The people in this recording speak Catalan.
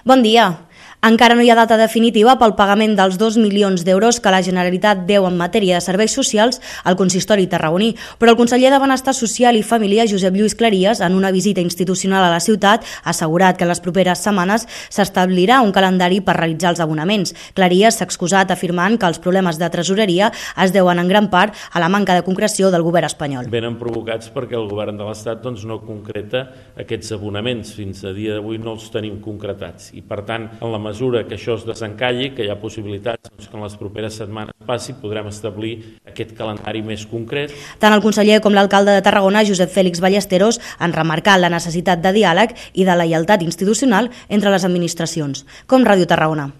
Bon dia. Encara no hi ha data definitiva pel pagament dels 2 milions d'euros que la Generalitat deu en matèria de serveis socials al consistori tarragoní, però el conseller de Benestar Social i Família, Josep Lluís Claries, en una visita institucional a la ciutat, ha assegurat que en les properes setmanes s'establirà un calendari per realitzar els abonaments. Claries s'ha excusat afirmant que els problemes de tresoreria es deuen en gran part a la manca de concreció del govern espanyol. Venen provocats perquè el govern de l'Estat no concreta aquests abonaments. Fins a dia d'avui no els tenim concretats i, per tant, en la mesura que això es desencalli, que hi ha possibilitats que en les properes setmanes passi, podrem establir aquest calendari més concret. Tant el conseller com l'alcalde de Tarragona, Josep Fèlix Ballesteros, han remarcat la necessitat de diàleg i de lleialtat institucional entre les administracions. Com Ràdio Tarragona.